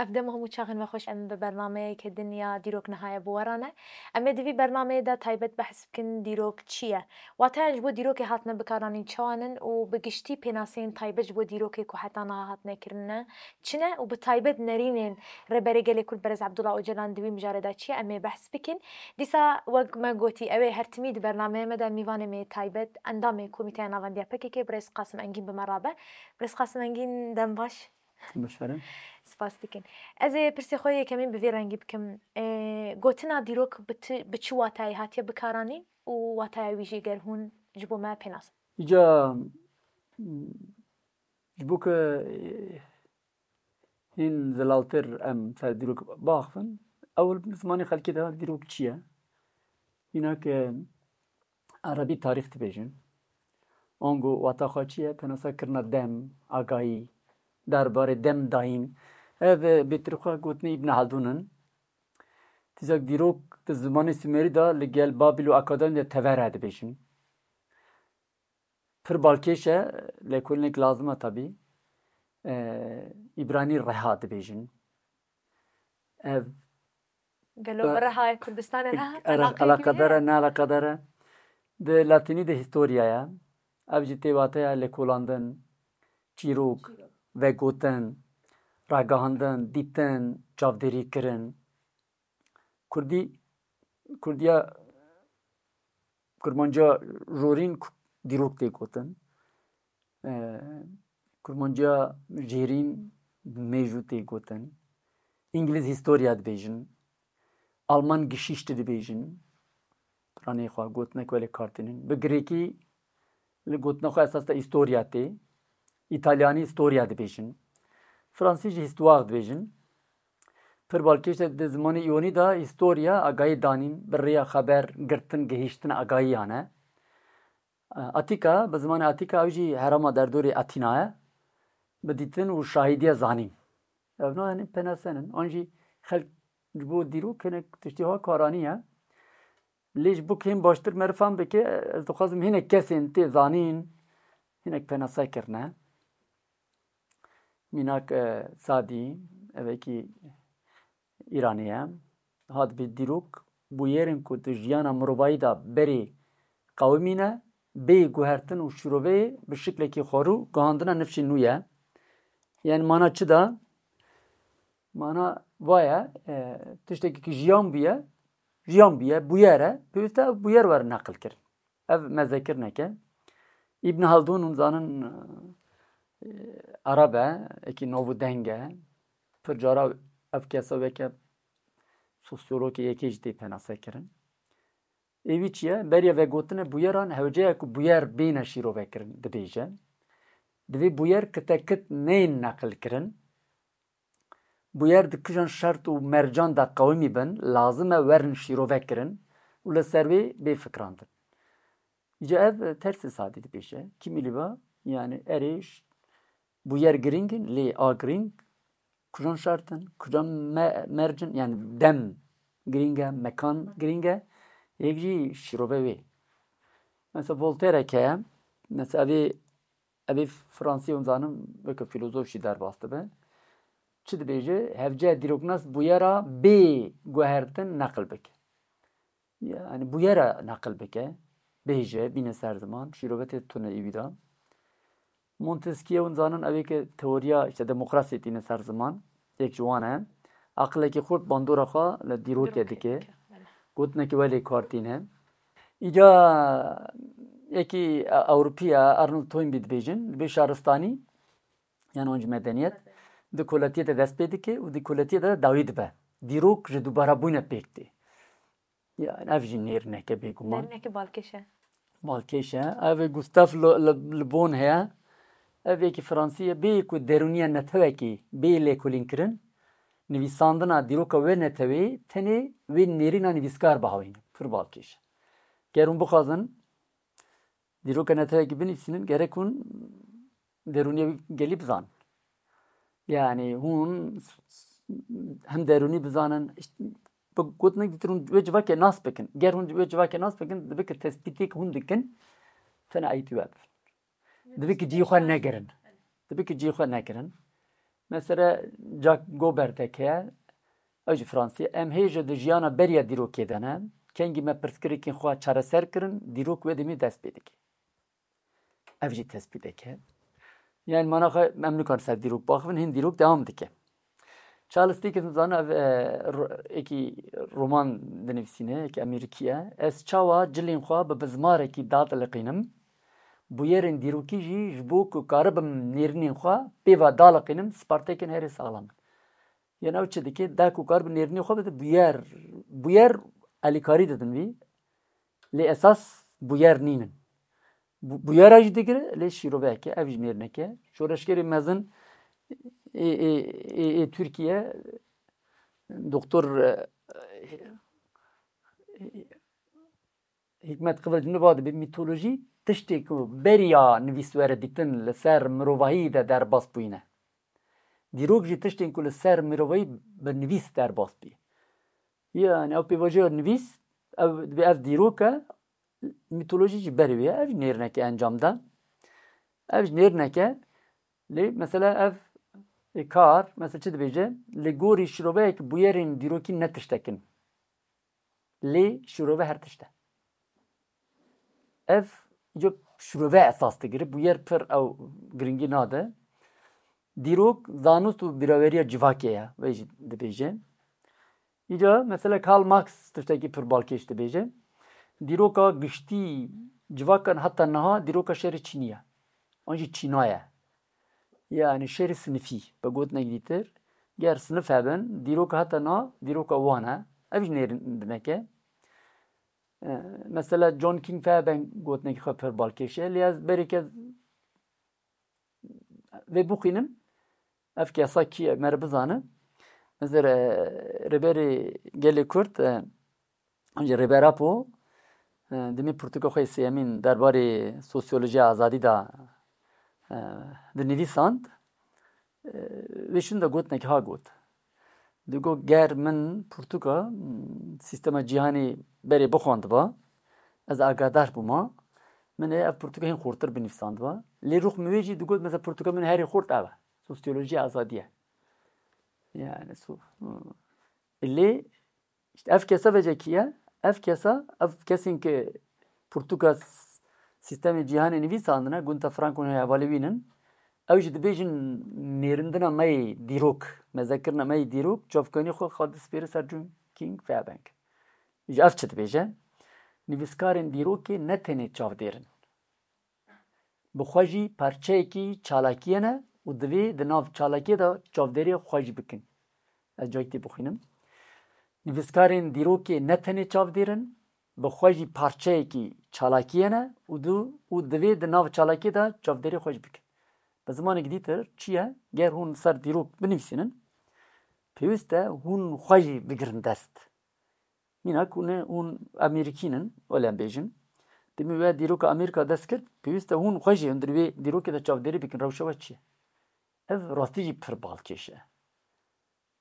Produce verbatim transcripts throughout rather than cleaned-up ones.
Ev dem hemû çaxên me xweş, em bi bernameyeke din ya dîrok niha ye bi we re ne. Em ê di vî bernameyê de taybet behs bikin dîrok çi ye? Wateyan ji bo dîrokê hatine bikaranîn çawa nin û bi giştî pênaseyên taybet ji bo dîrokê ku heta niha hatine kirin ne çi ne û bi taybet nerînên Rêberê Gelê Kurd Berêz Abdullah Ocalan di wî mijarê de çi ye, em ê behs bikin. Dîsa wek me gotî, ew ê her timî di bernameyê me de mîvanê me yê taybet, endamê Komîteya Navendiya P K K, Birêz Qasim Engîn bi me re be. Birêz Qasim Engîn, dem baş. Başarın. Spas dikin. Ez ê pirsê xwe yekemîn bi vî rengî bikim. Ê, gotina dîrok bi ti, bi çi watayê hatiye bikaranîn û wataya wî jî ger hûn ji bo me pê nas? Îca, ji bo ku, e, hîn zilaltir em ser dîrok biaxivin, ewil bi zimanê xelkê de dîrok çi ye? Hîna ke Erebî tarîx dibêjin. Ango wata xwe çi ye? Penasa kirina dem, agahî, derbarê dem dayîn. Ev, e, bêtir xwe gotinê Îbn Haldûn in. Tîzek dîrok di zimanê Sumerî de li gel Babîl û Akadên de tevere dibêjin. Pir balkêş e, lêkolînek lazim e tabî. E, Îbranî reha dibêjin. Ev Gelo bi reha ye, Kurdistanê reha? Ele-, eleqeyekî eleqedar e, heye? Ne eleqedar e. Di latînî de historia ye. Ev jî tê wateya lêkolandin, çîrok, vegotin, ragihandin, dîtin, çavdêrî kirin. Kurdî, Kurdiya, Kurmanciya jorîn ku-, dîrok tê gotin. E, Kurmanciya jêrîn mêjû tê gotin. Îngilîz historia dibêjin. Alman Geschichte dibêjin. Piranê xwe gotinek welê kartînin. Bi girêkî li gotina xwe esas de historia tê. Îtalyanî historia dibêjin. Fransî jî histoire dibêjin. Pir balkêş e, di zimanê îyonî de historia agahî danîn, bi rêya xeber, girtin, gihîştin agahiyan e. Atîka, bi zimanê Atîka ew jî herêma derdorê Atîna ye. Bi dîtin û şahîdiya zanîn. Ev ne, yanî penasen in. An jî xelk ji bo dîrok hinek tiştê ha karanî ye. Lê ji bo kêm baştir meriv fam bike, ez dixwazim hinek kesên tê zanîn, hinek penase kirine. Mînak, e, Sadî, evekî Îranî ye. Hat bi dîrok bûyerên ku di jiyana mirovayî de berê qewimîne, bê guhertin û şîroveyê bi şiklekî xwarû guhandina nifşên nû ye. Yani mana çi da? Mana va ye, e, tiştekî ki jiyan bûye, jiyan bûye, bûyer e, pêwîst e ev bûyer were neqil kirin. Ev mezekirnek e. Îbn Haldûn hûn zanin, e, Ereb e, ekî nav û deng e. Pir cara ev kesa weke sosyologê yekê jî tê penase kirin. Ê wî çi ye? Beriya vegotinê bûyeran hewce ye ku bûyer bêne şîrove kirin, dibêje. Divê bûyer kitekit neyên neqil kirin. Bûyer di kijan şert û mercan de qewimî bin, lazim e werin şîrove kirin û li ser wê bê fikrandin. Îca ev tersê Sadî dibêje. Kîmî lî ba, yani erê ş-, bûyer girîng in, lê a girîng kujan şert in, kujan me-, merc in, yani dem girîng e, mekan girîng e, yek jî şîrove wê. Mesela Voltaire heye, mesela evê Evê Fransî hûn zanin, weke fîlozof jî derbas dibe. Çi dibêje? Hevce dîroknas bûyera bê guhertin neqil bike. Yani bûyera neqil bike. Bêje, bîne ser ziman. Şîrove tê tune î wî de. Montesquieu hûn zanin, ew ê ke teoriya, işte, demokrasiyê tîne ser ziman. Yek ji wan e. Aqilekî xurt bandora xwe li dîrokê dike. Gotinekî welê kar tîne. Îca yekî Ewropî ye, Arnold Toynbee dibêjin, dibê şaristanî, yan an jî medeniyet, di koletiyê de dest pê dike û di koletiyê de dawî dibe. Dîrok ji dubarabûyî pêk tê. Yani ev jî nêrîneke bêguman. Nêrîneke balkêş e. Balkêş e. Ev Gustave Le, Le, Le Bon heye. Ev yekî Fransî ye. Bê ku derûniya netewekî bê lêkolînkirin, nivîsandina dîroka wê netewê tenê wê nêrîna nivîskar bihawîne. Pir balkêş e. Ger hûn bixwazin dîroka netewekî binivîsînin, gerek hûn derûniya wî gelî bizanin. Yani hûn hem derûnî bizanin, işte, bi gotinek dîtir hûn wê civakê nas bikin. Ger hûn wê civakê nas bikin, dibe ki tespîtê ki hûn dikin, tene eytî we bibin. Dibe ki cihê xwe negirin. Dibe ki cihê xwe negirin. Mesela Jack Gobert heye, ew jî Fransî, em hêja di jiyana beriya dîrokê de ne. Kengî me pirsgirêkên xwe çareser kirin, dîrok wê demê dest pê dike. Ev jî tespîteke. Yani mana xwe em nikan ser dîrok baxivin, hin dîrok devam dike. Charles Dickens zana ev, e, ro-, êkî roman dinivîsîne, êkî Amerîkî ye. Ez çawa cilên xwe bi bizmarekî dadiliqînim, bûyerên dîrokî jî ji bo ku karibim nêrînên xwe pê ve daliqînim, spartekên herî saxlam in. Yên ew çi dike? Da ku karibe nêrînê xwe bide bûyer, bûyer alîkarî didin vî, lê esas bûyer nînin. Bû-, bûyera jî digire, lê şîroveyeke, ev jî nêrîneke. Şoreşgerê mezin ê, ê, ê, ê Tirkiye, Doktor, e, Hikmet Kıvılcım niva dibe, mîtolojî tiştê ku beriya nivîs were dîtin li ser mirovahiyê de derbas bûyîne. Dîrok jî tiştên ku li ser mirovahî bi nivîs derbas bî. Yani ew pêvajoya nivîs, ev dibe ev dîrok e, mîtolojî jî berê wê ye, ev jî nêrîneke encam da. Ev jî nêrîneke, lê mesela ev ê kar, mesela çi dibêje? Li gorî şiroveyek bûyerên dîrokî ne tiştek in. Lê şirove her tişt e. Ev îco şirove esas digire, bûyer pir ew giringî nade. Dîrok, zanist û bîraweriya civakê ye, wê jî dibêje. Îca mesela Karl Marx tiştekî pir balkêş dibêje. Dîroka giştî civakan heta niha dîroka şerê çînî ye. An jî çîna ye. Yani şerê sinifî, bi gotinek dîtir, ger sinif hebin, dîroka heta na, dîroka wan e. Ev jî nêrîneke. E, mesela John King Fairbank gotinekî xwe pir balkêş e. Lê ez berê ke vê bixwînim, ev kesa kî ye, me re bizane. Mesela, e, Rêberê Gelê Kurd, e, Ancî Rêber Apo, e, dimê pirtûka xwe yê sêyemîn derbarê sosyolojiya azadî de, e, dinivîsand. E, wê şûn de gotinek ha got. Digot, ger min pirtûka, m, sîstema cîhanê berê bixwandiba, ez agahdar bûma, min ê ev pirtûka hîn xurtir binivîsandiba. Lê rûx min wê jî digot, mesela pirtûka min herî xurt ev e. Sosyolojiya azadî ye. Yani, so-, m, lê Îşte ev kesa vêce kî ye? Ev kesa, ev kesên ke pirtûka s-, sîstemê cîhanê nivîsandine, Gunther Frank û hevalê wî nin. Ew jî dibêjin nêrindina me yê dîrok, mezekirina me yê dîrok, çavkanî xwe xwe dispêre ser John King Fairbank. Ji ev çi dibêje? Nivîskarên dîrokê ne tenê çavdêr in. Bi xwe jî parçeyekî çalakiyê ne û divê di nav çalakiyê de çavdêriya xwe jî bikin. Ez cayî tê bixwînim. Nivîskarên dîrokê ne tenê çavdêr in, bi xwe jî parçeyekî çalakiyê ne û di-, û divê di nav çalakiyê de çavdêriya xwe jî bikin. Bi zimanekî dîtir çi ye? Ger hûn ser dîrok binivîsînin, pêwîst e hûn xwe jî bigirin dest. Mînak hûn ê, hûn Amerîkî nin, wele em bêjin. Dimî we dîroka Amerîka dest kir, pêwîst e hûn xwe jî hundir wê dîrokê de çavdêrî bikin, rewşa we çi ye? Ev rastî jî pir balkêş e.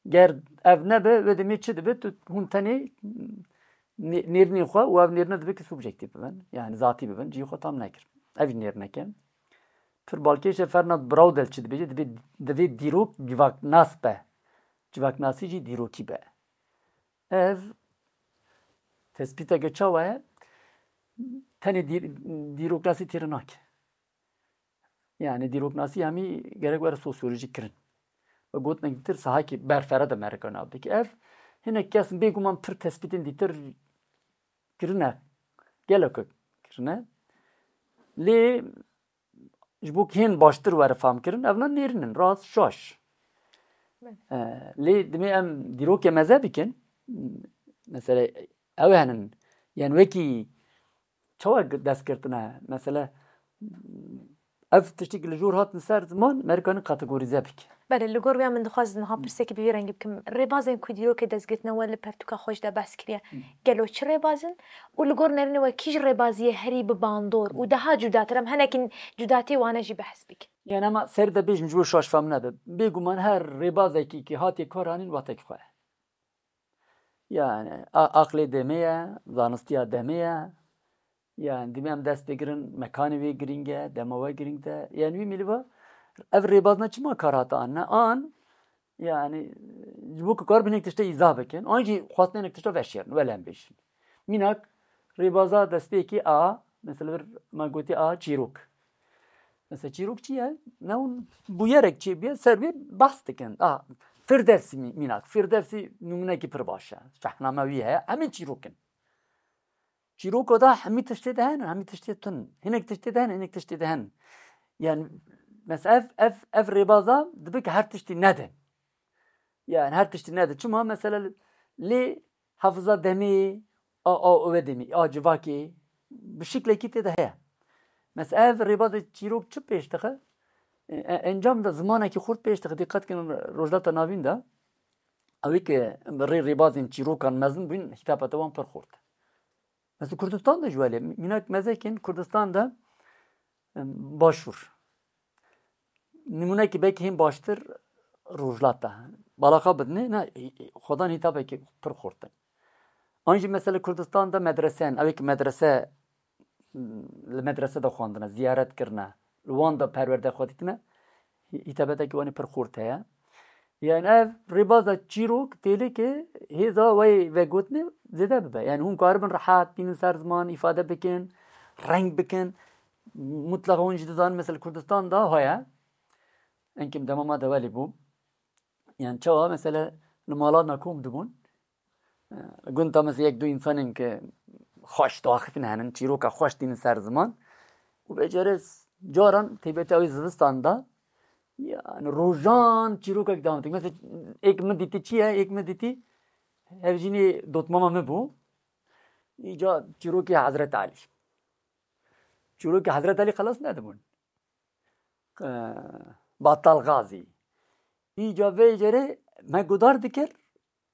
Ger ev nebe, wê demê çi dibe? Tu hûn tenê nê-, nêrînên xwe û ev nêrîne dibe ki subjektîf bibin, yani zatî bibin, cihê xwe tam nekir. Ev jî nêrîneke. Pir balkêş e, Fernand Braudel çi dibêje? Dibê, divê dîrok civaknas be. Civaknasî jî dîrokî be. Ev tespîteke çawa ye? Tenê dîr-, dîroknasî têre nake. Yani dîroknasî hemî gerek were sosyolojî kirin. Ve gotinek dîtir sahakî berfere de merika nav dike. Ev hinek kes bêguman pir tespîtên dîtir kirine. Gelek kirine. Lê ji bo hên baştir were fam kirin, evna nêrîn in, rast şaş. Evet. E, lê dimê em dîrokê meze bikin. Mesela ew henin, yani wekî çawa dest girtine? Mesela ev tiştî li jor hatin ser ziman, merikanin kategorîze bike. Belê, li gor wê min dixwazin niha pirsekî bi vî rengî bikim. Rêbazên ku dîrokê dest girtine we li pertûka xwe jî de behs kiriye. Hı. Gelo çi rêbaz in? Û li gor nerînê we kî ji rêbaziyê herî bi bandor û daha cudatir, em hinekî cudatiyê wane jî behs bikin. Yani ama ser de bêjim ji bo şaş fam nebe. Bêguman her rêbazekî ki hatiye kar anîn watekî xwe ye. Yani a-, aqlê demê ye, zanistiya demê ye. Yani dimê em dest pê girin, mekanê wê girîng e, dema we girîng de. Yani wî mîliva ev rêbazna çima kar hate anne? An Yani ji bo ku karibin hinek tiştê îzah bikin, an jî xwestin hinek tişta veşêrin, wele em bêjin. Mînak rêbaza destpêkê a, mesela vir me gotî a çîrok. Mesela çîrok çi ye? Ne hûn bûyerek çêbûye, ser wê behs dikin. A, Firdevsî mî-, mînak. Firdevsî nimûnekî pir baş e. Şahname wî heye. Em ê çîrok in. Çîroka da hemî tiştê de hene, hemî tiştê tun. Hinek tiştê de hene, hinek tiştê de hene. Yani mesela ev, ev, ev rêbaza dibe ki her tiştî nede. Yani her tiştî nede. Çima mesela lê hafiza demê, a, a, ove demê, a civakê bi şiklekî tê de heye. Mesela ev rêbazê çîrok çi pêş dixe? E, e, encam da zimanekî xurt pêş dixe. Dîqet kin Rojhilata Navîn de. Ew ê ke bi rê rêbazên çîrokan mezin bûn, hîtapeta wan pir xurt e. Mesela Kurdistan de ji welê, mînak mezekên Kurdistan de, em, başûr. Nimûnekî belkî hên baştir Rojhilat e. Balaxa bidinê, ne, xwedan hîtabekî pir xurt e. An jî mesela Kurdistan de medrese in, ew ê ke medrese, li medrese de xwendine, ziyaret kirine, li wan de perwerde xwe dîtine, hî-, hîtabetekî wan ê pir xurt heye. Yani ev rêbaza çîrok têlê ke hêza wê vegotinê zêde bibe. Yani hûn karibin rehet bînin ser ziman, îfade bikin, reng bikin. Mutlaqa hûn jî dizanin, mesela Kurdistan de heye. Enkêm dema me de welê bû. Yani çawa mesela li mala me kom dibûn. Gund da mesela yek du insanên ke xweş daxifin henin, çîroka xweş tînin ser ziman. Û vêcere caran têbete ew zivistan da, yani rojan çîrokek dawam dikin. Mesela êk min dîtî çi ye? Êk min dîtî hevjînê dotmama min bû. Îca çîrokê Hezret Elî. Çîrokê Hezret Elî xelas nedibûn. Batal Gazî. Îca vê jêrê me gudar dikir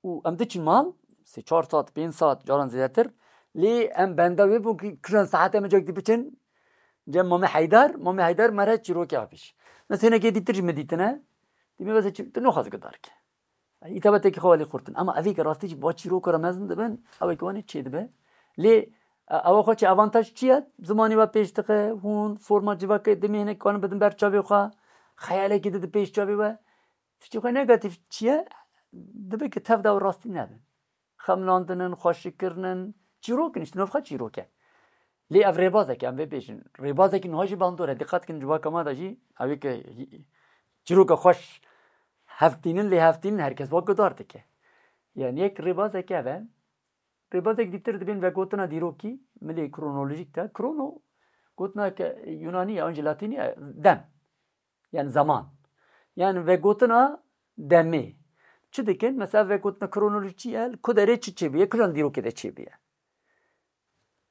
û em diçin mal, sê çar saet, pênc saet, caran zêdetir. Lê em benda wê bûn ku kijan saet em cek dibiçin cem Mamê Heydar, Mamê Heydar me re çîrokê apîş. Mesela hinekê dîtir jî me dîtine, dî me bes tu nexwaz gudar ke. Îtabetekî xwe welî xurtin. Ama evê ke rastî jî ba çîroka re mezin dibin, ew ê ke wanê çê dibe. Lê, e, ewa xwe çi avantaj çi ye? Zimanê we pêş dixe, hûn forma civakê dimê hinek kanin bidin ber çavê xwe, xeyalekî dide pêş çavê we. Tiştê xwe negatif çi ye? Dibe ke tev de ew rastî nebin. Xemlandinin, xweşikirinin, çîrok in, işte navxa çîrok e. Lê ev rêbazek e, em vê bêjin. Rêbazekî niha jî bandor e. Dîqet kin civaka me de jî, ew ê ke çîroka xweş hevtînin, lê hevtînin her kes wa gudar dike. Yani yek rêbazek ev e. Rêbazek dîtir dibên vegotina dîrokî, milê kronolojîk de. Krono, gotina ke Yunanî ye, an jî Latînî ye, dem. Yani zaman. Yani vegotina demê. Çi dikin? Mesela vegotina kronolojî çi ye? Ku derê çi çêbûye? Kijan dîrokê de çêbûye?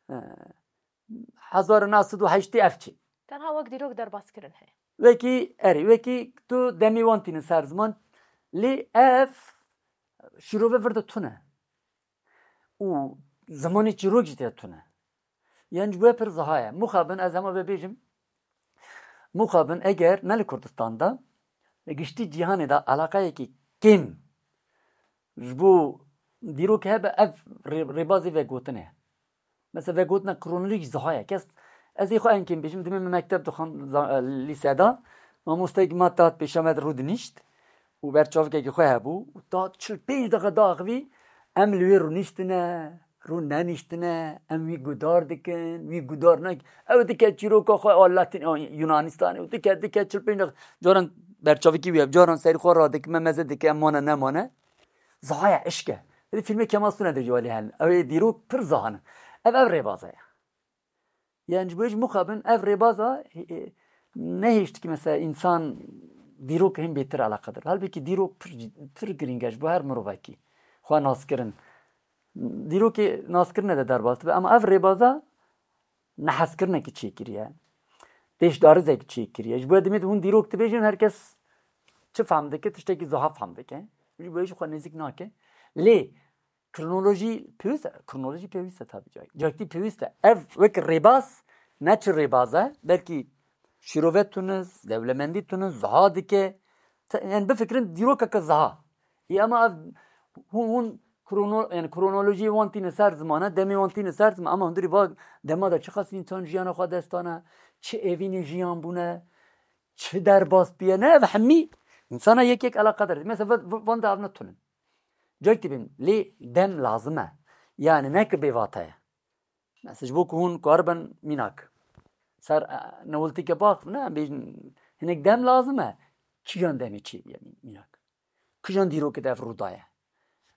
He. Hezar û neh sed û heştê ev çi? Tenha wek dîrok derbas kirin heye. Wekî, erê, wekî tu demê wan tînin ser ziman. Lê ev şîrove vir de tune. Û zimanê çîrok jî tê tune. Yan ji bo pir ziha ye. Mixabin ez hema vê bêjim. Mixabin eger ne li Kurdistan de, li giştî cîhanê de eleqeyekî kêm ji bo dîrok hebe ev rê-, rêbazê vegotinê. Mesela vegotina kronolojîk ziha ye. Kes, ez ê xwe en kêm bêjim, dimê min mekteb dixwand, za-, e, lîse de, mamosteyekî me tat pêşa me de rûdinişt û berçavkekî xwe hebû û ta çil pênc deqa daxivî em li wê rûniştine, rû neniştine, em wî gudar dikin, wî gudar nek-, ew dike çîroka xwe a Latîn, a Yunanistanê û dike, dike çil pênc deqa, caran berçavkî wî ye, caran serî xwe radike, me meze dike, em mane nemane. Ziha ye, eşk e. Hêdî fîlmê Kemal Sunal de jî welê hene. Ew ê dîrok pir ziha ne. Ev, ev rêbaza ye. Yani ji bo jî mixabin ev rêbaza, e, e, nehêşt ki mesela însan dîrok hên bêtir eleqedar. Halbûkî dîrok pir, pir girîng e ji bo her mirovekî. Xwe naskirin. Dîrokê naskirine de derbas dibe. Ama ev rêbaza nehezkirinekî çêkiriye. Pêşdarizekî çêkiriye. Ji bo ya dimê de hûn dîrok dibêjin, her kes çi fehm dike, tiştekî ziha fehm dike. Ji bo ya jî xwe nêzik nake. Lê kronolojî pêwîst e, kronolojî pêwîst e tabii. Cak-, cakî pêwîst e. Ev wek rêbaz, ne çi rêbaz e, belkî şîrove tune, dewlemendî tune, ziha dike. Te-, yani bifikirin dîrokeke ziha. Ê, ama ev hûn, hûn krono-, yani kronolojiyê wan tîne ser ziman e, demê wan tîne ser ziman, ama hundirî va dema de çiqas însan jiyana xwe dest dane, çi evînê jiyan bûne, çi derbas bûye, ne ev hemî Însana yek yek eleqedar. Mesela va-, va-, van de ev ne tunin. Cayek dibin, lê dem lazim e. Yani ne ki bêvate ye. Mesela ji bo ku hûn karibin mînak. Ser, e, newiltîke bax, ne, bêjin, hinek dem lazim e. Kijan demê çêbûye mînak. Kijan dîrokê de ev rû daye.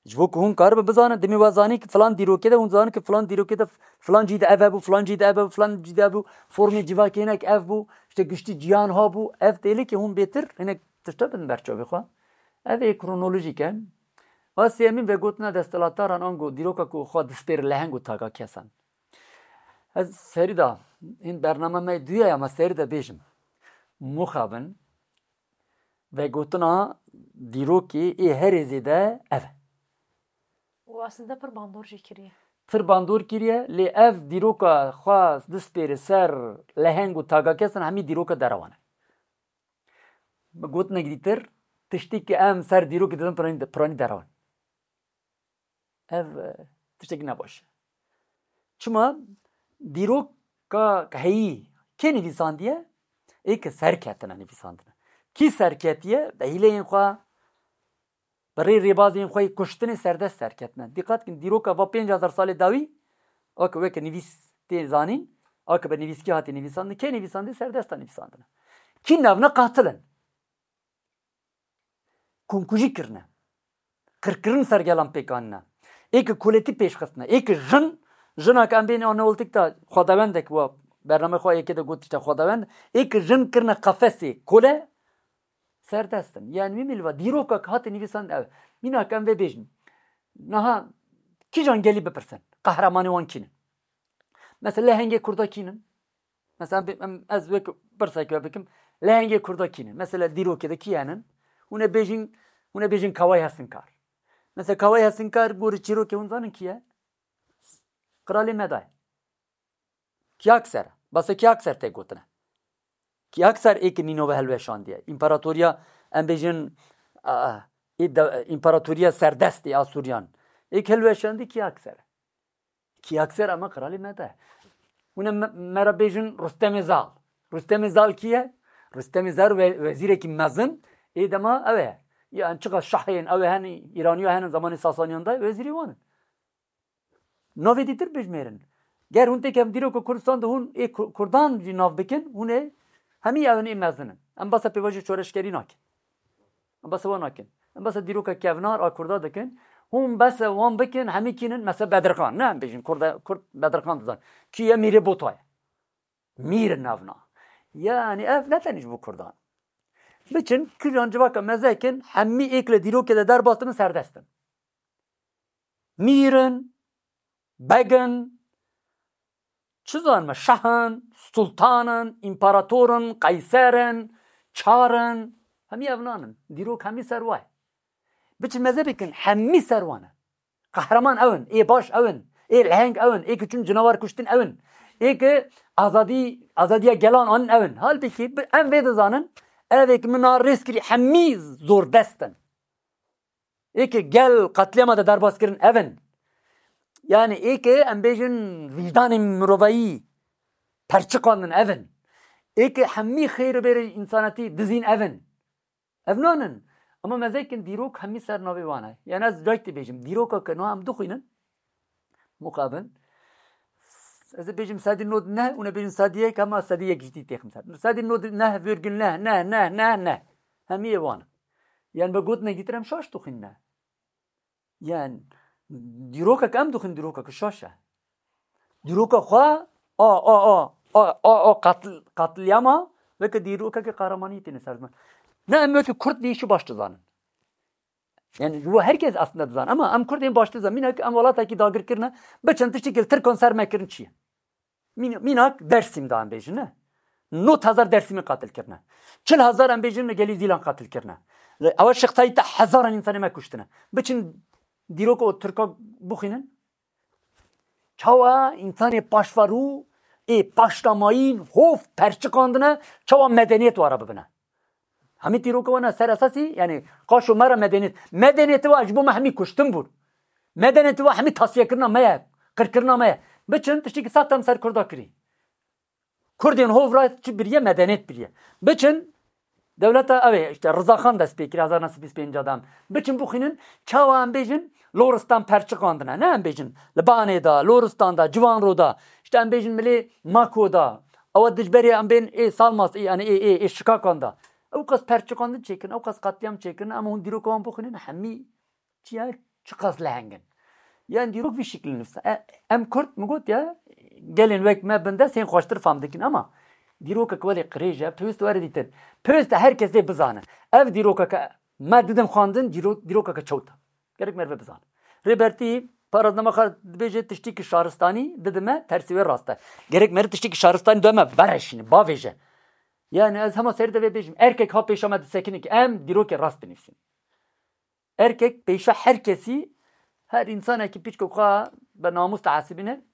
Ji bo ku hûn karibin bizanin, demê we zanî ki filan dîrokê de, hûn zanin ki filan dîrokê de, filan cî de ev hebû, filan cî de ev hebû, filan cî de hebû, formê civakê hinek ev bû, işte giştî ciyan ha bû, ev têlê ki hûn bêtir hinek tişta bin ber çavê xwe. Ev ê kronolojîk e. A sêyemîn vegotina desthilatdaran ango dîroka ku xwe dispêr leheng û taga kesan. Ez serî da, hîn bername me duya ya me serî de bêjim. Muxabin, vegotina dîrokê ê herê zêde ev e. Û aslında pir bandor jî kiriye. Pir bandor kiriye, lê ev dîroka xwe dispêre ser leheng û taga kesan hemî dîroka derewan e. Bi gotinek dîtir, tiştî ki em ser dîrokê didin piranî, piranî derewan. Ev, e, tiştekî nebaş e. Çima dîroka heyî kê nivîsandiye? Ê ki serketine nivîsandine. Kî serketiye? Bi hîleyên xwe, bi rê rêbazên xwe yê kuştinê serdest serketine. Dîqat kin, dîroka va pênc hezar salê dawî, a ki weke nivîs tê zanîn, a ki bi nivîskî hatî nivîsandin, kê nivîsandî? Serdesta nivîsandine. Kî nevne? Qatil in. Komkujî kirine. Qirkirin ser gelan pêk anine. Ê ki koletî pêş xistine. Ê ki jin, jina ki em bên a neolîtik de xwedawendek wa bername xwe yekê de got işte xwedawend. Ê ki jin kirine qefesê kole, serdest in. Yani wî mîl va dîroka ki hate nivîsan ev. Mînak em vê bêjin. Niha kîjan gelî bipirsin? Qehremanê wan kî ne? Mesela lehengê Kurda kî ne? Mesela bi-, em, ez wek pirsek we bikim. Lehengê Kurda kî ne? Mesela dîrokê de kî henin? Hûn ê bêjin, hûn ê bêjin Kawayê Hesinkar. Mesela Kawayê Hesinkar gorî çîrokê hûn zanin kî ye? Qiralê Meda ye. Kiyakser. Basa Kiyakser tê gotine. Kiyakser ê ki nîno ve hilweşandiye. Împaratoriya, em bêjin, a, ê de, împaratoriya serdest ê Asûriyan. Ê ki hilweşandî Kiyakser. Kiyakser ama qiralê Meda. Hûn ê me, me re bêjin Rustemê Zal. Rustemê Zal kî ye? Rustemê Zal we-, wezîrekî mezin ê dema ew e. Yan çiqa şahên ew ê henin, Îraniya henin zamanê Sasaniyan de wezîrê wan in. Navê dîtir bijmêrin. Ger hûn têkevin dîroka Kurdistan de hûn ê Ku-, Kurdan jî nav bikin, hûn ê hemî ew ê mezin in. Em basa pêvajoya şoreşgerî nakin. Em basa wan nakin. Em basa dîroka kevnar a Kurda dikin. Hûn basa wan bikin, hemî kî nin? Mesela Bedirxan. Ne em bêjin Kurda, Kurd Bedirxan dizan. Kî ye? Mîrê Bota ye. Mîr in navna. Yani ev ne tenê ji bo Kurdan. Biçin, kijan civaka mezek in, hemî êk li dîrokê de derbas dibin, serdest in. Mîr in, beg in, çi zanim, şah in, sultan in, împarator in, qeyser in, çar in, hemî evnan in. Dîrok hemî ser wa ye. Biçin mezhebê kin, hemî ser wan e. Qehreman ew in, ê baş ew in, ê leheng ew in, ê ki çûn cinawar kuştin ew in, ê ki azadî, azadiya gelan anin ew in. Halbikî bi-, em vê dizanin, ev ê ki min a rêz kirî hemî zordest in. Ê ki gel qetlîama de derbas kirin ev in. Yani ê ki em bêjin vîjdanê mirovayî perçiqandin ev in. Ê ki hemî xêr û bêrê însanetî dizîn ev in. Ev nan in. Ama mezek in dîrok hemî ser navê wan e. Yani ez cayek dibêjim, dîroka ke niha em dixwînin, muqabin, ez ê bêjim sedî nod neh, hûn ê bêjin sedî yek, ama sedî yek jî têxim ser. Sedî nod neh virgül neh, neh, neh, neh, neh. Hemî yê wan in. Yani bi gotinekî tira em şaş dixwînin. Yani dîrokek em dixwînin, dîrokek şaş e. Dîroka xwe a, a, a, a, a qatl-, qatliyama weke dîrokeke qehremaniyê têne ser ziman. Ne em weke Kurd vê îşî baş dizanin. Yani ji bo herkes aslında dizan. Ama em Kurd ên baş dizan. Mînak em welatekî dagir kirine, biçin tiştekî li Tirkan ser me kirin çi ye? Mîn-, mînak Dersim da em bêjin, ne? Nod hezar Dersimî qatil kirine. Çil hezar em bêjin li gelî Zîlan qatil kirine. Ewa Şêx Seîd de hezaran însanê me kuştine. Biçin dîroka o Tirka bixwînin. Çawa însanê paşverû ê paştamayîn hov perçiqandine, çawa medeniyet wara bibine? Hemî dîroka wana ser esasî, yani qaşo me re medeniyet. Medeniyetê wa ji bo me hemî kuştin bûn. Medeniyetê wa hemî tasfiyekirina me ye, qirkirina me ye. Biçin tiştekî sextem ser Kurda kirî. Kurdên hov re çi biriye? Medeniyet biriye. Biçin Dewleta ew ê, işte Rizaxan dest pê kir hezar neh sed bîst pênc de em. Biçin bixwînin, çawa em bêjin, Loristan perçiqandine. Ne em bêjin, li Banê de, Loristan de, Ciwanro de. İşte em bêjin milê Mako de. Ewa dijberê em bên ê Salmas, ê, yani ê, ê, ê Şikakan de. Ew qas perçiqandin çêkirin, ew qas qetliyam çêkirin, em hûn dîroka wan bixwînin, hemî çiya çiqas leheng in. Yan dîrok vî şiklî nivîsa. E, em Kurd, min got ya, gelên wek me bin dest hên xweştir fam dikin, ama dîrokek welê qirêj e, pêwîst were dîtin. Pêwîst e her kes lê bizane. Ev dîrokeke me didin xwendin, dîro-, dîrokeke çewt e. Gerek merve bizane. Rêbertî, paraznama xwe dibêje tiştî ki şaristanî didime, tersî wê rast e. Gerek meriv tiştî ki şaristanî dime, bereşîne, bavêje. Yani ez hema serî de vê bêjim, erkek ha pêşa me disekine ki em dîrokê rast binivîsin. Erkek pêşa her kesî, her însanekî pîçke xwe bi namûs dihesibîne,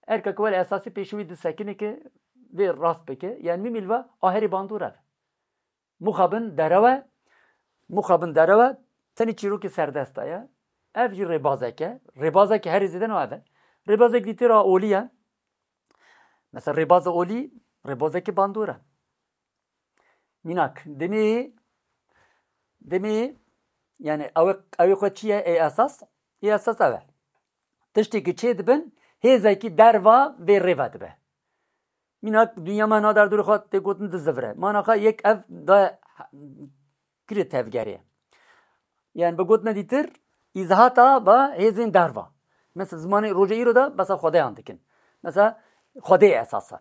erkek welê esasî pêşî wî disekine ki vê rast bike. Yani mîmîl ve aherî bandor e. Muxabin derew e, muxabin derew e, tenê çîrokê serdest e. Ev jî rêbazek e. Rêbazekî herî zêde no ev e. Rêbazek dîtir a olî ye. Mesela rêbaza olî, rêbazekî bandor e. Mînak, demê, demê, yani ew, ew xwe çi ye, ê esas? Ê esas ev e. Tiştê ki çê dibin, hêzekî derva vê rêve dibe. Mînak, dinya me na derdorê xwe tê gotin dizivire. Mana xwe yek ev da kirê tevgerê. Yani bi gotina dîtir, îzahata ba hêzên derva. Mesela zimanê roja îro de besa xwedeyan dikin. Mesela xwedê esas e.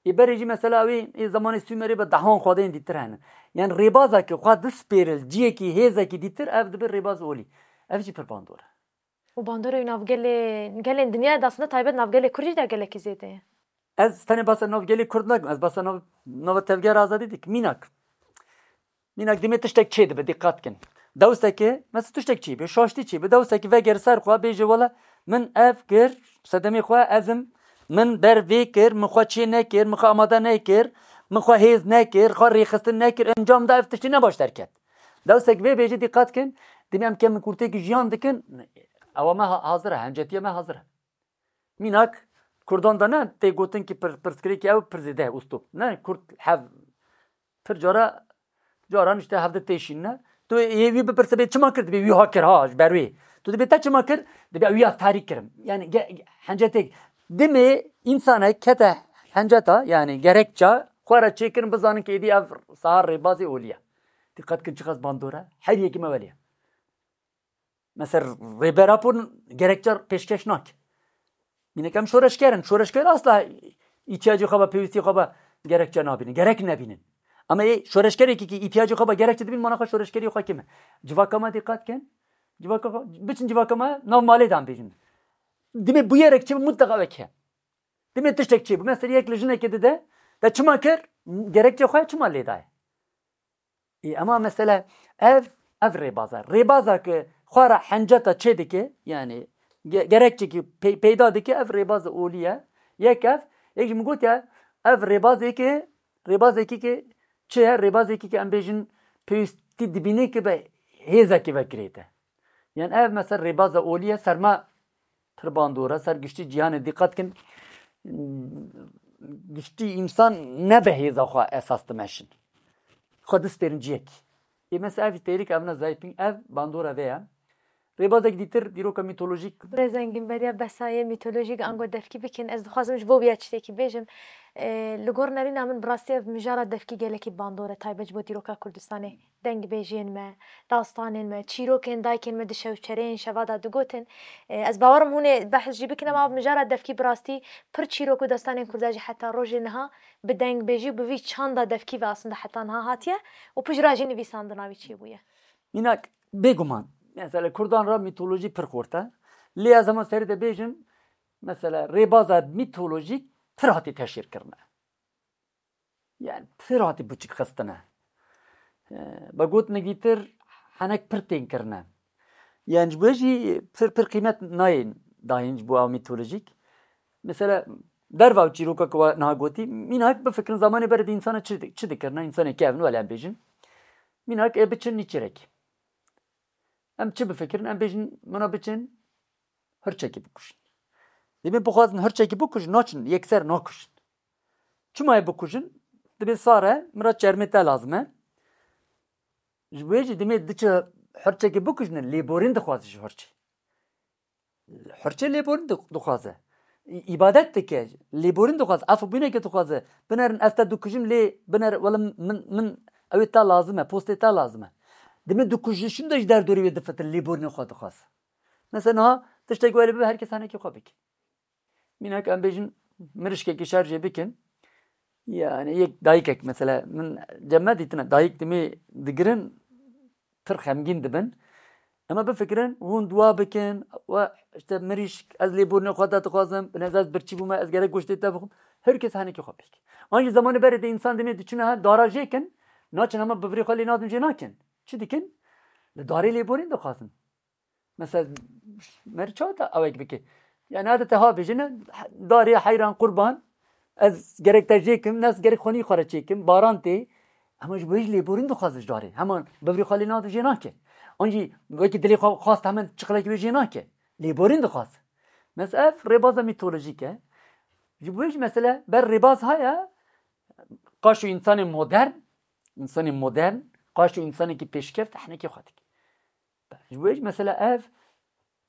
Ê berê jî mesela wê ê zemanê Sûmerê bi dehan xwedeyên dîtir hene. Yani rêbaza ki xwe dispêril ciyekî hêzekî dîtir, ev dibe rêbaz olî. Ev jî pir bandor e. Û bandorê nav gelê, gelên dinyayê de aslında taybet nav gelê Kurd jî de gelekî zêde ye. Ez tenê basa nav gelê Kurd nakim, ez basa nav, nava tevgera azadî dikim. Mînak. Mînak demê tiştek çê dibe, dîqat kin. Dewseke, mesela tiştek çê be, şaştî çê be, dewseke veger ser xwe, bêje wela min ev kir, sedemê xwe ez im, min ber vê kir, min xwe çê nekir, min xwe amade nekir, min xwe hêz nekir, xwe rêxistin nekir, encam da ev tiştî ne baş derket. Dewsek vê bêje, dîqat kin, demê em kemî kurtêkî jiyan dikin, ewa me ha-, hazir e, hemcetiya me hazir e. Mînak, Kurdan de ne tê gotin ki pir-, pirsgirêkî ew pir zêde ye, ustop. Ne, Kurd hev-, pir cara, caran işte hevde têşîn ne. Tu yê wî bipirse bê çima kir, dibê wî ha kir ha, ji ber wê. Tu dibê te çima kir, dibê wî ya tarî kirim. Yani ge-, ge-, hencetek. Dimê însanek kete henceta, yani gerekça, xwe re çêkirin bizanin ki êdî ev sahar rêbazê olî ye. Dîqet kin çiqas bandor e. Her yekî me welê ye. Mesela Rêber Apo gerekçe pêşkeş nake. Mînak em şoreşger in. Şoreşger asla îhtiyacê xwe be, pêwîstiyê xwe be gerekçe nabînin. Gerek nebînin. Ama ê şoreşgerekî ki îhtiyacê xwe be gerekçe dibîn, mana xwe şoreşgeriyê xwe kêm e. Civaka me dîqat kin. Civaka xwe, biçin civaka me nav malê de em bêjin. Dimê bûyerek çi mutlaka wek heye. Dimê tiştek çê bû. Mesela yek li jinekê dide, te çima kir? Gerekçe xwe çima lê daye? Ê, ema mesele ev, ev rêbaza. Rêbaza ki xwe re henceta çê dike, yani ge-, gerekçe ki pey-, peyda dike, ev rêbaza olî ye. Yek ev, yek jî min got ya, ev rêbazê ki, rêbazekî ki çi ye? Rêbazekî ki em bêjin pêwîstî dibîne ki bi hêzekî ve girêde. Yani ev mesela rêbaza olî ye, ser me pir bandor e, ser giştî cîhanê dîqet kin. Giştî însan ne bi hêza xwe esas dimeşin. Xwe dispêrin ciyekî. Ê mesela ev têrik ev ne zayîpîn, ev bandora vê ye. Rêbazek dîtir dîroka mîtolojîk. Birêz Engin beriya besayê mîtolojîk ango devkî bikin. Ez dixwazim ji bo wî ya tiştekî bêjim. Ê, li gor nerîna min bi rastî ev mijara devkî gelekî bandor e, taybet ji bo dîroka Kurdistanê. Dengbêjiyên me, dastanên me, çîrokên dayikên me di şewçereyên şeva de digotin. E, ez bawerim hûn ê behs jî bikin, ema mijara devkî bi rastî pir çîrok û destanên Kurda jî heta rojê niha bi dengbêjî û bi vî çanda devkî ve aslında heta niha hatiye û pijra jî nivîsandina wî çêbûye. Mînak, bêguman, mesela Kurdan re mîtolojî pir xurt e. Lê ez hema serî de bêjim, mesela rêbaza mîtolojîk pir hatî teşhîr kirine. Yani pir hatî biçik xistine. Ee, Bi gotinekî tir henek pir tên kirine. Yani ji bo jî pir, pir qîmet nayên dayîn ji bo ew mîtolojîk. Mesela derva ew çîroka ku we niha gotî, mînak bifikirin zamanê berê de însana çi di-, çi dikirine, însanê kevin wele em bêjin. Mînak ê biçin nîçirekî. Em çi bifikirin? Em bêjin, mina biçin hirçekî bikujin. Dibê bixwazin hirçekî bikujin, naçin, yekser nakujin. Çima yê bikujin? Dibê sar e, min re çermê te lazim e. Ji bo yê jî demê diçe hirçekê bikujine, lêborîn dixwaze ji hirçê. Hirçê lêborîn di-, dixwaze. Î-, îbadet dike, lêborîn dixwaze, afûbûneke dixwaze. Binerin ez te dikujim lê biner, wele min, min, ew ê te lazim e, postê te lazim e. Demê dikujişin de ji derdorê wê difitin, lêborînê xwe dixwaze. Mesela niha tiştek wele bibe, her kes henekê xwe bike. Mînak em bêjin mirişkekî şerjê bikin. Yani yek dayikek mesela min cem me dîtine dayik dimê digirin pir xemgîn dibin. Ema bifikirin hûn dua bikin we işte mirişk ez lêborînê xwe de dixwazim, binez ez birçî bûme, ez gerek goştê te bixwim. Her kes henekî xwe pêk. An jî zemanê berê de însan dimê diçine her dara jê kin, naçin hema bivirê xwe lê nadin jê nakin. Çi dikin? Li darê lêborîn dixwazin. Mesela meriç çawa te ewek bike? Yani hadi te ha bêjine darê heyran qurban, ez gerek te jê kim, nes gerek xwenî xwe re çêkim, baran tê. Hema ji bo hêj lêborîn dixwaze ji darê. Hema bivirê xwe lê nade jê nake. An jî wekî dilê xwe xwast hemen çiqlekî wê jê nake. Lêborîn dixwaze. Mesela ev rêbaza mîtolojîk e. Ji bo hêj mesela ber rêbaz haya, qaşo însanê modern, însanê modern, qaşo însanekî pêşkeft, ehnekê xwe dike. Ji bo hêj mesela ev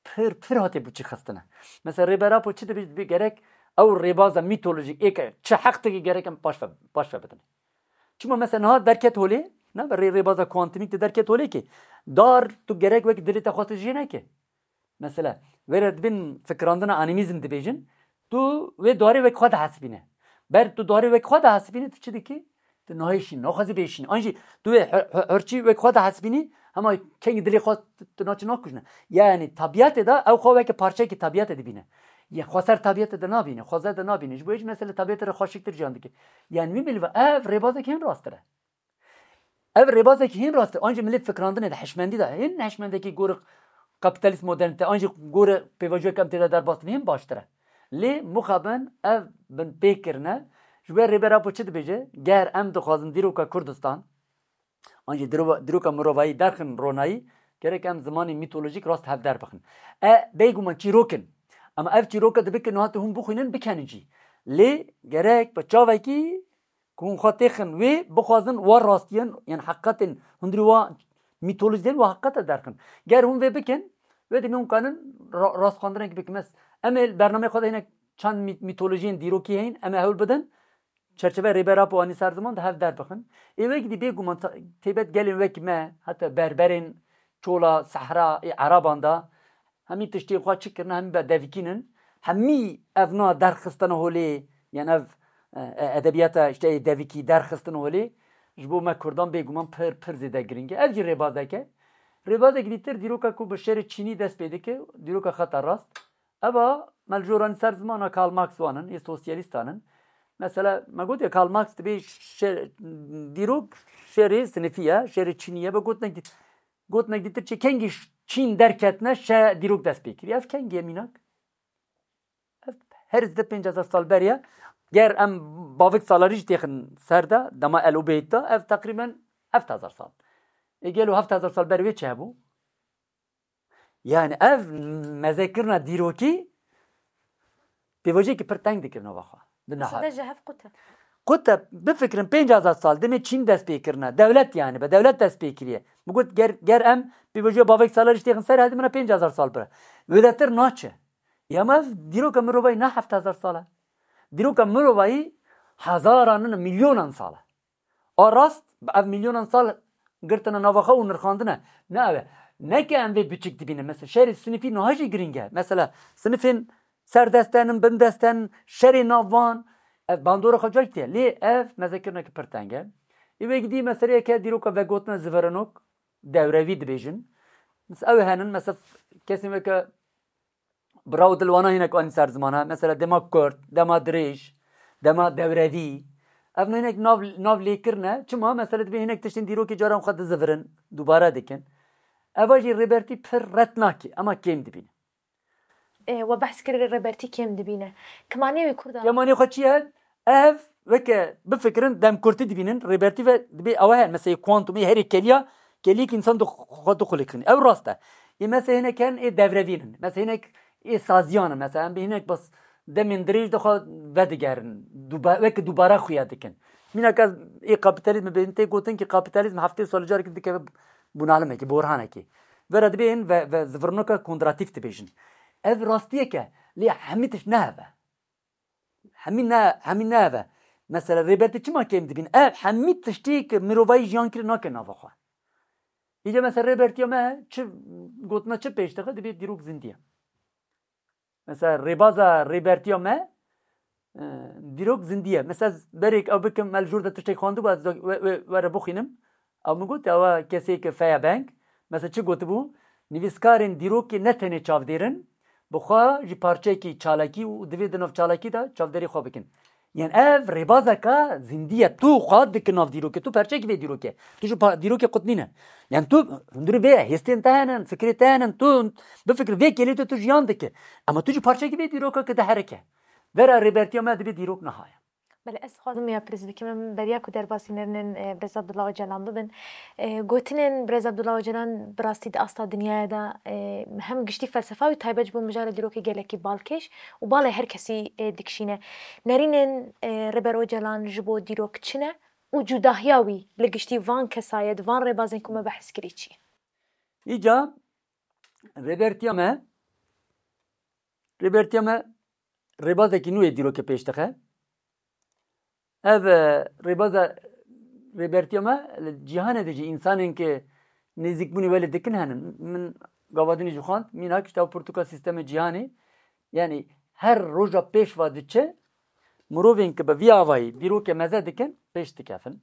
pir, pir hate biçîxistine. Mesela Rêber Apo çi dibê, dibê gerek ew rêbaza mîtolojîk ê ke çi heq dike gerek em paş ve, paş ve bidin. Çima mesela niha derket holê, ne rê, rêbaza kuantimîk de derket holê ki dar tu gerek wek dilê te xwe tu jê neke. Mesela wê re dibin fikirandina animîzm dibêjin, tu wê darê wek xwe dihesibîne. Ber tu darê wek xwe dihesibîne, tu çi dikî? Tu nahêşî, naxwazî bêşîn. An jî tu wê her-, her-, herçî wek xwe dihesibînî, hema kengî dilê xwe tu, tu naçî nakujne. Yani tabiatê de ew xwe weke parçeyekî tabiatê dibîne. Ya xweser tabiatê de nabîne, xwezer de nabîne. Ji bo hêj mesele tabiatê re xweşiktir jiyan dike. Yani wî milva ev rêbazek hên rasttir e. Ev rêbazek hên rast e. An jî milê fikrandinê de hişmendî de hên hişmendekî gorî kapîtalîst modernîte, an jî gorî pêvajoyek em tê de derbas dibin hên baştir e. Lê mixabin ev bin pê kirine, ji we Rêber Apo çi dibêje? Ger em dixwazin dîroka Kurdistan, an jî dîro-, dîroka mirovayî derxin ronayî, gerek em zimanê mîtolojîk rast hevder bixin. E, bêguman çîrok in. Ama ev çîroka dibe ki niha tu hûn bixwînin, bikenin jî. Lê gerek bi çavekî ku hûn xwe têxin wê, bixwazin wa rastiyan, yan heqîqetên hundirî wa mîtolojiyên wa heqîqete derxin. Ger hûn vê bikin, wê demê hûn kanin ra-, rastxwendinekî bikin. Mes-, em ê li bernameyê xwe de hinek çend mî-, mîtolojiyên dîrokî heyîn, em ê hewl bidin, çerçeveya Rêber Apo anî ser ziman de hev derbixin. Ê wek dî bêguman ta-, têbet gelên wek me, heta berberên çola, sehra, ê Ereban de, hemî tiştê xwe çi kirine, hemî be devikînin. Hemî ev na derxistine holê, yan ev, e, e, edebiyata işte ê devikî derxistine holê, ji bo me Kurdan bêguman pir, pir zêde giring e. Ev jî rêbazek e. Rêbazek dîtir dîroka ku bi şerê Çînî dest pê dike, dîroka xeta rast. Eva me li joranî ser zimana Karl Marx wanin, ê sosyalîstan in. Mesela me got ya Karl Marx dibê şe-, dîrok şerê sinifî ye, şerê Çînî ye, bi gotinek dî-, gotinek dîtir çi kengî ş-, Çîn derketine şe dîrok dest pê kiriye. Ev kengî ye mînak? Ev her zide pênc hezar sal beriye. Ger em bavik salarî jî têxin ser de, dema El Ubeyd de, ev teqrîben heft hezar sal. Ê gelo heft hezar sal ber wê çi hebû? Yani ev mezekirina dîrokî pêvajoyekî pir teng dikir nava xwe. Di niha- Mesele ji hev qut e. Qut e, bifikirin pênc hezar sal demê Çîn dest pê kirine. Dewlet yani, be dewlet dest pê kiriye. Min got ger, ger em pêvajoya bavek salar jî têxin ser, hadi min re pênc hezar sal bire. Wêdetir naçe. Ya me ev dîroka mirovayî ne heft hezar sal e. Dîroka mirovayî hezaran, milyonan sal e. A rast, bi ev milyonan sal girtine nava xwe û nirxandine. Ne ev e. Ne ke em vê biçik dibînin. Mesela şerê sinifî niha jî giring e. Mesela sinifên serdestenin, bindestenin, şerê nav van, ev bandora xwe cayî tê. Lê ev mezekirineke pir teng e. Ê wê gidî meseleyeke dîroka vegotina zivirinok, dewrevî dibêjin. Mesela ew henin, mesela kesên weke Bira û dilwana hinek anî ser ziman e. Mesela dema kurt, dema dirêj, dema dewrevî. Ev hinek nav, nav lêkirine. Çima? Mesela dibê hinek tiştên dîrokê caran xwe dizivirin, dubare dikin. Eva jî Rêbertî pir ret nake, ema kêm dibîne. Ê, we behs kir Rêbertî kêm dibîne. Kemanê wî Kurda. Kemanê xwe çi ye? Ev weke bifikirin demkurtî dibînin, Rêbertî ve dibê ew e, mesela kuantumê herê keliya, keliyek însan xwe dixulikin. Ew rast e. Ê mesela hinek herin ê devrevînin. Mesela hinek ê saziyan in. Mesela em bi hinek bas demên dirêj de xwe vedigerin. Duba, weke dubare xuya dikin. Mînak ez ê kapîtalîzmê bêjim, tê gotin ki kapîtalîzm heftê sal carekî dikeve Bûnalimekî, borhanekî. Vera dibên ve, ve zivirnoka kondratîf dibêjin. Ev rastiyek e, lê hemî tişt ne ev e. Hemî ne, hemî ne ev e. Mesela Rêbertî çima kêm dibîn? Ev hemî tiştî ki mirovayî jiyan kiri nake nava xwe. Îca mesela Rêbertiya me çi gotina çi pêş dixe, dibê dîrok zindî ye. Mesela rêbaza Rêbertiya me, e, dîrok zindî ye. Mesela ez berêk ew bikim, me li jor de tiştek xwendibû, ez we, we, were bixwînim. Ew min got, ewa kesê ke Feya Beng, mesela çi gotibû? Nivîskarên dîrokê ne tenê çavdêr in, bi xwe jî parçeyekî çalakî û divê di nav çalakî de çavdêrî xwe bikin. Yan ev rêbazeka zindî ye. Tu xwe dike nav dîrokê. Tu perçekî vê dîrokê. Tu ji pa-, dîrokê qut nîne. Yan tu hundirî vê hêstên te henin, fikrê te henin. Tu bifikir vê kêlê tu, tu jiyan dike. Ama tu jî parçekî vê dîroka ke diherike. Vera rêbertiya me dibê dîrok niha ye. Belê, ez dixwazim ya pirs bikim, em beriya ku derbasî nerinin, e, Birêz Abdullah Ocalan bibin. E, gotinên Birêz Abdullah Ocalan bi rastî di asta dinyayê de, e, hem giştî felsefa wî taybet ji bo mijara dîrokê gelekî balkêş û balê her kesî, e, dikişîne. Nerînên, e, Rêber Ocalan ji bo dîrok çi ne û cudahiya wî li giştî van kesayet, van rêbazên ku me behs kirî çi ye? Îca Rêbertiya me, Rêbertiya me rêbazekî nû yê dîrokê pêş dixe. Ev, e, rêbaza Rêbertiya me li cîhanê de jî însanên ke nêzîkbûnê welê dikin henin. Min gava dinê jî xwend, mînak işte ew pirtûka sîstemê cîhanê. Yanî her roja pêş ve diçe, mirovên ke bi vî avayî dîrokê meze dikin, pêş dikevin.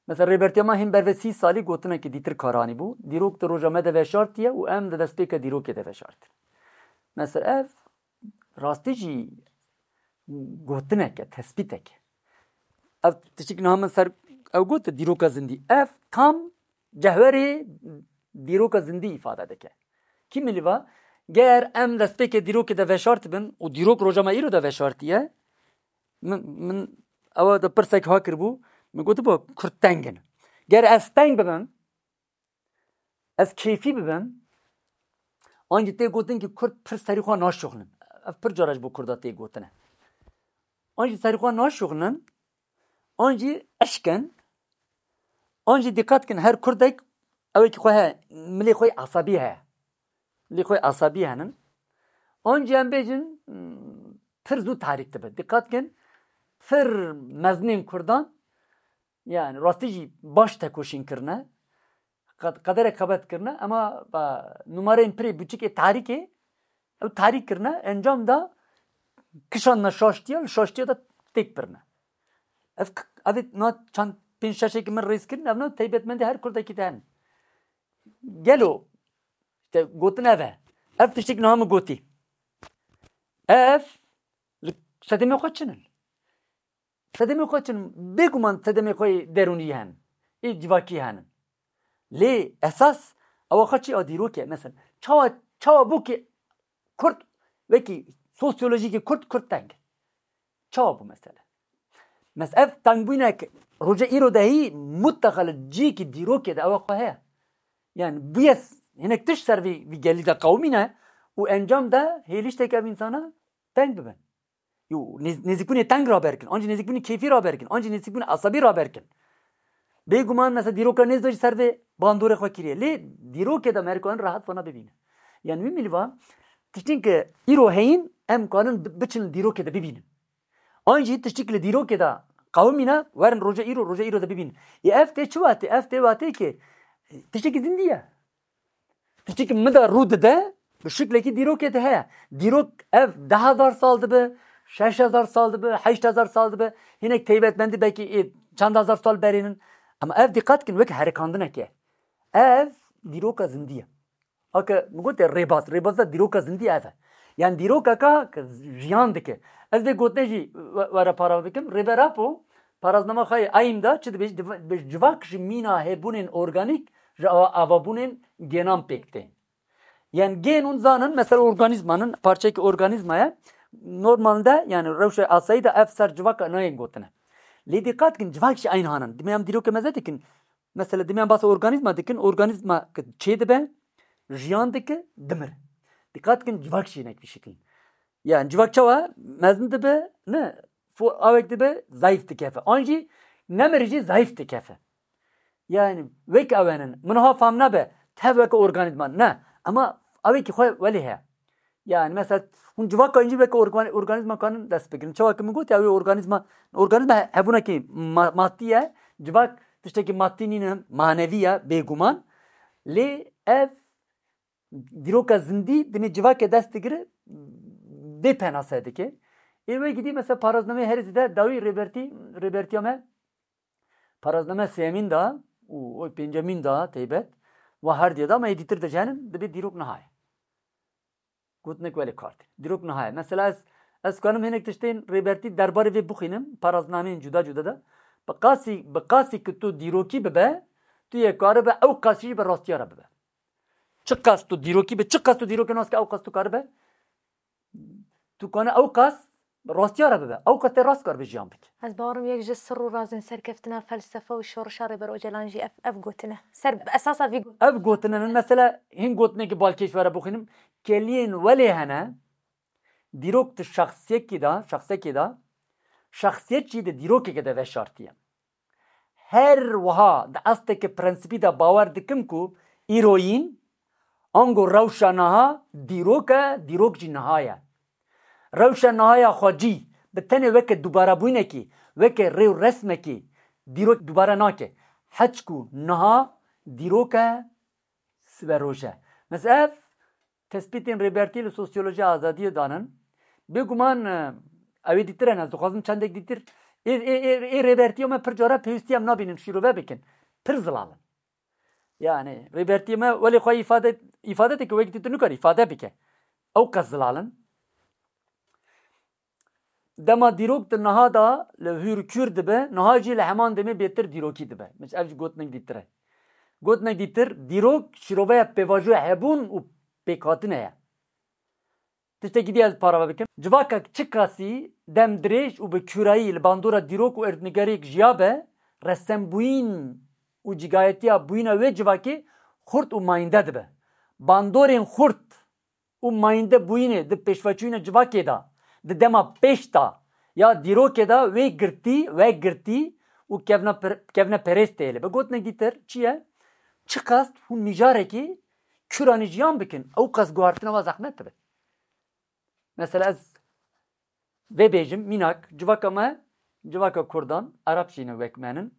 Mesela Rêbertiya me hîn berve sî salî gotinekî dîtir kar anîbû. Dîrok di roja me de veşartiye û em di destpêka dîrokê de veşartin. Mesela ev rastî jî gotineke, tespîteke. Ev tiştik niha min ser ew got, dîroka zindî. Ev tam cewherê dîroka zindî îfade dike. Kî milî va, ger em destpêkê dîrokê de veşartibin û dîrok roja me îro de veşartiye, min, min ewa de pirsek ha kiribû, min gotibû, Kurd teng in. Ger ez teng bibim, ez kêfî bibim, an jî tê gotin ki Kurd pir serî xwe naşuxlin. Ev pir cara ji bo Kurda tê gotine. An jî serî xwe naşuxlin, an jî eşk in, an jî dîqet kin, her Kurdek ewekî xwe heye, milê xwe asabî heye. Milê xwe asabî henin. An jî em bêjin, hmm, pir zû tarîk dibe. Dîqet kin, pir mezinên Kurdan, yani rastî jî baş tekoşîn kirine, qed-, qederek xebet kirine, ema, ba, numareyên pirê biçikê tarîkê, ew tarîk kirine, encam da kişandine şaştiya, li şaştiya de têk birine. Ev k-, ev ê na çend pênc şeşekî min rêz kirin, ev na taybetmendî her Kurdekî de hene. Gelo, işte, gotin ev e. Ev tiştek niha min gotî. Ev li sedemê xwe çin in. Sedemê xwe çin, bêguman sedemê xwe yê derûnî henin. Ê civakî henin. Lê esas ewa xwe çi a dîrokê. Mesela, çawa, çawa bû ki Kurd, wekî sosyolojîkî Kurd, Kurd teng? Çawa bû mesele? Mes-, ev tengbûnek roja îro de hî mutlaka li cîkî dîrokê de ewa xwe heye. Yani bûye s-, hinek tişt ser vî, vî gelî de qewimîne û encam de hêliştek ev însana teng bibin. Yo, nêz-, nêzîkbûnê teng raber kin, an jî nêzîkbûnê kêfî raber kin, an jî nêzîkbûnê esabî raber kin. Bêguman mesela dîroka nêz de jî ser vê bandorê xwe kiriye. Lê dîrokê de me her ku en rehet vana bibîne. Yani wî milî va, tiştên ke îro heyîn, em kanin bi-, biçin li dîrokê de bibînin. An jî tiştîk li dîrokê de qewimîne, werin roja îro, roja îro de bibînin. Ê ev tê çi watê? Ev tê watê ke tiştekî zindî ye. Tiştekî min de rû dide, bi şiklekî dîrokê de heye. Dîrok ev deh hezar sal dibe, şeş hezar sal dibe, heşt hezar sal dibe. Hinek taybetmendî belkî ê çend hezar sal berê nin. Ama ev dîqet kin wek herikandineke. Ev dîroka zindî ye. Ake min gotê rêbaz, rêbaza dîroka zindî ev e. Yani dîrokeka ke jiyan dike. Ez vê gotinê jî we-, were para bikim. Rêber Apo, paraznama xwe yê Eym de çi dibêje? Div-, dibêje, civak ji mîna hebûnên organîk ji ava-, avabûnên genan pêk tên. Yani gen hûn zanin, mesela organîzmanin, parçeyekî organîzma ye. Normalde, yani rewşa asayî de ev ser civaka nayên gotine. Lê dîqet kin, civak jî eyn hanin. Dimê em dîrokê meze dikin. Mesela dimê em basa organîzma dikin, organîzma ke çê dibe, jiyan dike, dimir. Dîqet kin, civak jî hinek vî şiklîn. Yani civak çawa mezin dibe, ne, fo-, awek dibe, zayıf dikefe. An jî nemir jî zayıf dikefe. Yani wek ew in. Min ha fam nebe. Tev weke organîzma. Ne. Ama ewekî xwe welê heye. Yani mesela hûn civaka încî weke organ-, organîzma kanin dest bigirin. Çawa ki min got ya wê organîzma, organîzma he-, hebûnekî ma-, madî ye. Civak tiştekî madî nîne, manevî ye, bêguman. Lê ev dîroka zindî dinê civakê dest digire, bê penase dike. Ê wê gidî mesela paraznameyê herî zêde dawî Rêbertî, Rêbertiya me parazname sêyemîn da û o pêncemîn da teybet wa her diye da me ê dîtir de jenin dibê dîrok niha ye. Gotinek welê kar tê. Dîrok niha ye. Mesela ez, ez kanim hinek tiştên Rêbertî derbarê vê bixwînim, paraznameyên cuda cuda de. Bi qasî, bi qasî ki tu dîrokî bibe, tu yê karibe ew qasî jî bi rastiya re bibe. Çiqas tu dîrokî bi, çiqas tu dîrokê nas ke ew qas tu karibe, tu kane ew qas rastiya re bibe. Ew qas tê rast karibe jiyan bike. Ez bawerim yek ji sir û razên serkeftina felsefe û şorişa Rêber Ocalan jî ev, ev gotine. Ser esasa vî got- Ev gotine ne, mesela hîn gotinekî balkêş were bixwînim. Keliyên welê hene, dîrok di şexsiyekî de, şexsekî de, şexsiyet jî di dîrokekê de veşartiye. Her wiha di asteke prensîpî de bawer dikim ku îroyîn, ango rewşa niha dîrok e, dîrok jî niha ye. Rewşa niha ya xwecî bi tenê weke dubarebûyinekî, weke rê û resmekî dîrok dubare nake. Heçku niha dîrok e, siberoje. Mesela ev tespîtên Rêbertî li sosyolojiya azadiyê danin. Bêguman, e, ew ê dîtir hene, ez dixwazim çendek dîtir. Ê, ê, ê, ê Rêbertiya me pir cara pêwîstî em nabînin şîrove bikin. Pir zilal in. Yani Rêbertiya me welê xwe îfade, îfade dike, wek dîtir nikare îfade bike. Ew qas zilal in. Dema dîrok di niha de li hûr kûr dibe, niha jî li heman demê bêtir dîrokî dibe. Min ev jî gotinek dîtir e. Gotinek dîtir, dîrok şîroveya pêvajoya hebûn û pêkhatine ye. Tiştekî dî ez parve bikim. Civakek çiqasî dem dirêj û bi kûrayî li bandora dîrok û erdnigeriyek jiya be, resembûyîn û cigayetiya bûyîna wê civakê xurt û mayînde dibe. Bandorên xurt û mayînde bûyînê di pêşveçûyîna civakê de, di dema pêş de ya dîrokê de wê girtî, wegirtî û kevna per-, kevneperêst tê li. Bi gotinek dîtir çi ye? Çiqas hûn mijarekî kûranî jiyan bikin, ew qas guhartina we zehmet dibe. Mesela ez vê bêjim, mînak, civaka me, civaka Kurdan, Ereb jî ne wek me nin.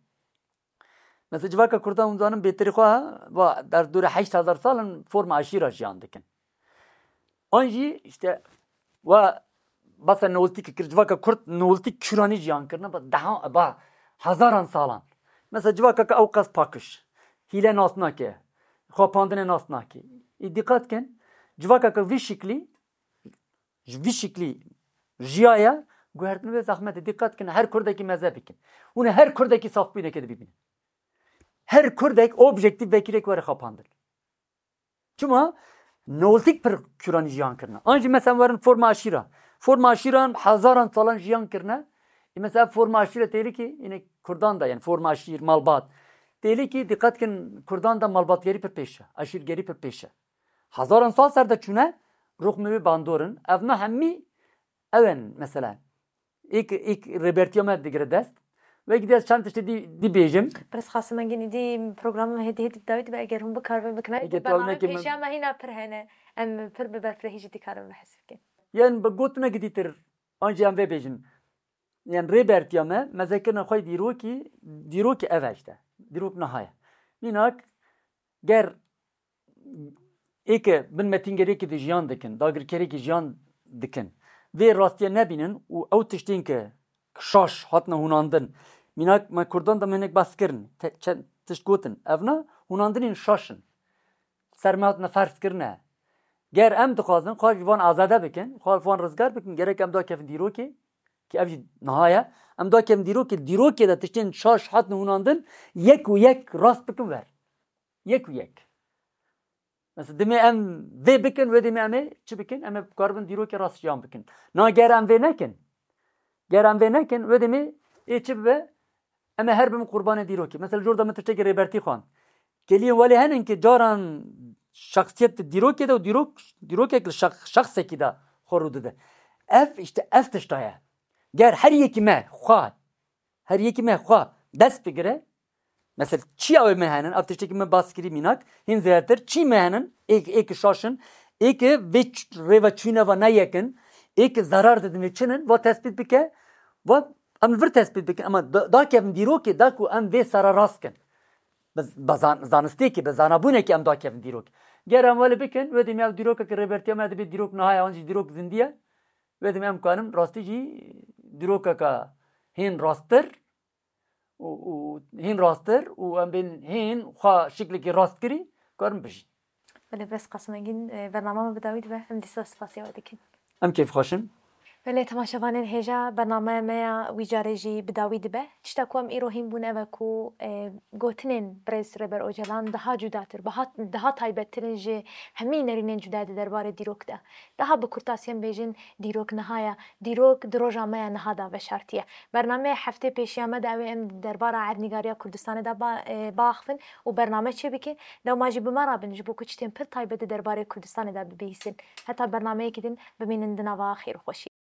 Mesela civaka Kurdan hûn zanin bêtirî xwe, va derdora heşt hezar sal in forma eşîra jiyan dikin. An jî işte wa basa Neolîtîk kir, civaka Kurd Neolîtîk kûranî jiyan kirine, ba deha, ba hezaran salan. Mesela civaka ke ew qas pakiş, hîle nas nake, xapandine nas nake. Ê dîqat kin, civaka ke vî şiklî, ji vî şiklî jiyaye, guhertin wê zehmet e. Dîqat kin, her Kurdekî meze bikin. Hûn ê her Kurdekî safbûyineke dibînin. Her Kurdek objektîf vekirek were xapandin. Çima? Neolîtîk pir kûranî jiyan kirine. An jî mesela werin forma aşîra. Forma aşîran hezaran salan jiyan kirine. Ê mesela forma aşîra têlîkî, yine Kurdan da, yani forma aşîr, malbat. Têlîkî dîqet kin, Kurdan da malbatgerî pir pêş e, aşîrgerî pir pêş e. Hezaran sal ser de çûne, ruxmê wê bandor in. Evna hemî ew in mesela. Îk, îk Rêbertiya me digire dest. Wekî dî ez çend tiştê dî, dî bêjim. Pirs Qasim Engin, îdî programê me hêdî hêdî dawî dibe, eger hûn bikaribin bikin. Ege tu ew nekî, pêşiya me hîna pir hene. Em pir bi berfirehî jî dikarin bi hesibkin. Yên bi gotinekî dîtir, an jî em vê bêjin. Yên Rêbertiya me, mezekirina xwe dîrokî, dîrokî ev e işte. Dîrok niha ye. Mînak, ger ê ke bin metîngerekî de jiyan dikin, dagirkerekî jiyan dikin, vê rastiye nebînin û ew tiştên ke şaş hatine hûnandin, mînak me Kurdan de me hinek behs kirin, te-, çend tişt gotin, evna hûnandinên şaş in. Ser me hatine ferz kirine. Ger em dixwazin xwe ji van azade bikin, xwe ji van rizgar bikin, gerek em dakevin dîrokê, ki ev jî niha ye, em dakevin dîrokê, dîrokê de tiştên şaş hatine hûnandin, yek û yek rast bikin wer. Yek û yek. Mesela, dimê em vê bikin, wê demê em ê çi bikin? Em ê bikaribin dîrokê rast jiyan bikin. Na ger em vê nekin, ger em vê nekin, wê demê ê çi bibe? Em ê her bibin qurbanê dîrokê. Mesela, jor de min tiştekî Rêbertî xwend. Keliyên welê henin ki caran şexsiyet di dîrokê de û dîrok, dîrokek li şex-, şexsekî de xwe rû dide. Ev, işte ev tişta ye. Ger her yekî me xwe, her yekî me xwe dest bigire, Mesela çiya wê me henin, ev tiştekî min bas kirî mînak, hîn zêdetir, çî me henin, ê, ê ki şaş in, ê ki vê ç-, rêveçûne va ne yek in, ê ki zerar didin vê çi nin, va tespît bike, va em li vir tespît bikin, ama da, dakevin dîrokê, da ku em vê sere rast kin. Bi, bi zan-, zanistêkê, bi zanabûnekê em dakevin dîrokê. Ger em welê bikin, wê demê ev dîrokeke Rêbertiya me dibê dîrok niha ye, an jî dîrok zindî ye. Wê demê em karin rastî jî dîrokeke hîn rasttir û, û hîn rasttir û em bên hîn xwe şiklekî rast kirî, karin bijîn. Belê, bes Qasim Engîn, e, bernama me bi dawî dibe, em dîsa spasiya we dikin. Em kêfxweş in. Belê, temaşevanên hêja, bernameya me ya wî carê jî bi dawî dibe. Tişta ku em îro hîn bûn ev e ku, e, gotinên birêz Rêber Ocalan daha cudatir, biha-, daha taybettir in ji hemî nerînên cuda di derbarê dîrok de. Daha bi kurtasî em bêjin, dîrok niha ye. Dîrok di roja me ya niha de veşartiye. Bernameya heftê pêşiya me de ew ê em di derbara erdnîgariya Kurdistanê de ba-, e, biaxivin û bername çêbikin. Lewma jî bi me re bin, ji bo ku tiştên pir taybet di derbarê Kurdistanê de bibihîsin. Heta bernameyekî din bimînin di nava xêr û xweşiyê.